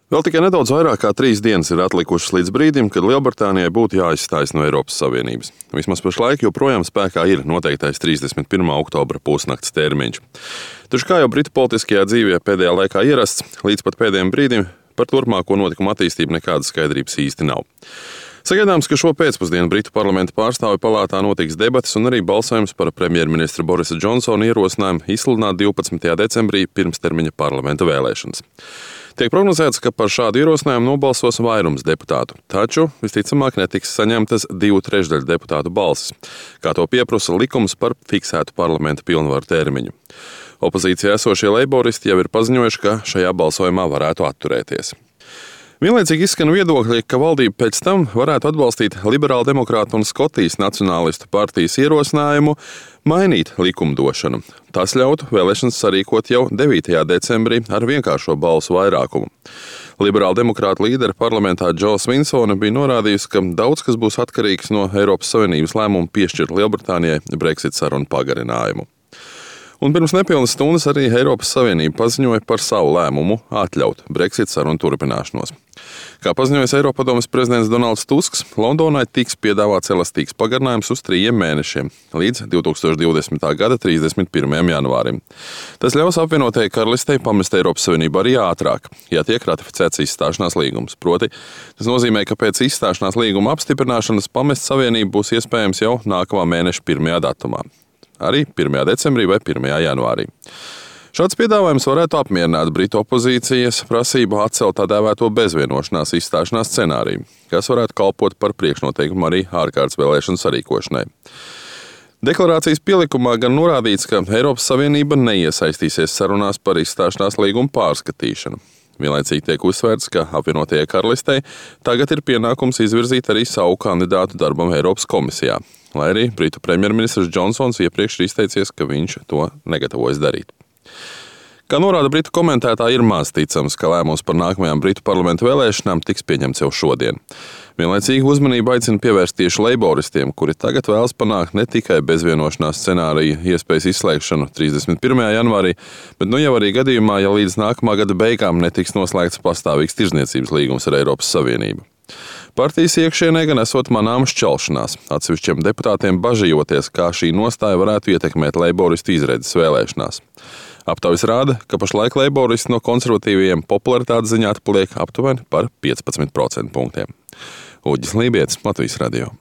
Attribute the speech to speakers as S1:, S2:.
S1: Vēl tikai nedaudz vairāk kā 3 dienas ir atlikušas līdz brīdim, kad Lielbritānijai būtu jāizstājas no Eiropas Savienības. Vismaz pašlaik joprojām spēkā ir noteiktais 31. oktobra pusnakts termiņš. Taču, kā jau Britu politiskajā dzīvē pēdējā laikā ierasts, līdz pat pēdējiem brīdim par turpmāko notikumu attīstību nekādas skaidrības īsti nav. Sagaidāms, ka šo pēcpusdienu Britu parlamenta pārstāvju palātā notiks debates un arī balsojums par premjerministra Borisa Džonsona ierosinājumu izsludināt 12. decembrī pirmstermiņa parlamenta vēlēšanas. Tiek prognozēts, ka par šādu ierosinājumu nobalsos vairums deputātu, taču visticamāk netiks saņemtas 2/3 deputātu balsis, kā to pieprasa likums par fiksētu parlamenta pilnvaru termiņu. Opozīcijā esošie leiboristi jau ir paziņojuši, ka šajā balsojumā varētu atturēties. Vienlaicīgi izskan viedokļi, ka valdība pēc tam varētu atbalstīt liberāldemokrātu un Skotijas nacionālistu partijas ierosinājumu mainīt likumdošanu. Tas ļautu vēlēšanas sarīkot jau 9. decembrī ar vienkāršo balsu vairākumu. Liberāldemokrātu līderi parlamentā Džo Svinsone bija norādījusi, ka daudz kas būs atkarīgs no Eiropas Savienības lēmuma piešķirt Lielbritānijai Brexit sarunu pagarinājumu. Un pirms nepilnas stundas arī Eiropas Savienība paziņoja par savu lēmumu atļaut Brexit sarunu turpināšanos. Kā paziņojis Eiropadomes prezidents Donalds Tusks, Londonai tiks piedāvāts elastīgs pagarinājums uz 3 mēnešiem, līdz 2020. gada 31. janvārim. Tas ļaus apvienotajai karalistei pamest Eiropas Savienību arī ātrāk, ja tiek ratificēts izstāšanās līgums. Proti, tas nozīmē, ka pēc izstāšanās līguma apstiprināšanas pamest Savienību būs iespējams jau nākamā mēneša 1. datumā. Arī 1. decembrī vai 1. janvārī. Šāds piedāvājums varētu apmierināt Britu opozīcijas prasību atcelt tā dēvēto bezvienošanās izstāšanās scenāriju, kas varētu kalpot par priekšnoteikumu arī ārkārtas vēlēšanu sarīkošanai. Deklarācijas pielikumā gan norādīts, ka Eiropas Savienība neiesaistīsies sarunās par izstāšanās līgumu pārskatīšanu. Vienlaicīgi tiek uzsvērts, ka apvienotajai karalistei tagad ir pienākums izvirzīt arī savu kandidātu darbam Eiropas komisijā, lai arī Britu premjerministrs Džonsons iepriekš ir izteicies, ka viņš to negatavojas darīt. Kā norāda Britu komentētāji, ir maz ticams, ka lēmums par nākamajām Britu parlamentu vēlēšanām tiks pieņemts jau šodien. Vienlaicīgi uzmanību aicina pievērst tieši leiboristiem, kuri tagad vēlas panākt ne tikai bezvienošanās scenāriju iespējas izslēgšanu 31. janvārī, bet jau arī gadījumā, ja līdz nākamā gada beigām netiks noslēgts pastāvīgs tirdzniecības līgums ar Eiropas Savienību. Partijas iekšienē gan esot manāma šķelšanās, atsevišķiem deputātiem bažījoties, kā šī nostāja varētu ietekmēt leiboristu izredzes vēlēšanās. Aptaujas rāda, ka pašlaik leiboristi no konservatīvajiem popularitātes ziņā atpaliek aptuveni par 15% punktiem. Uģis Lībietis, Latvijas radio.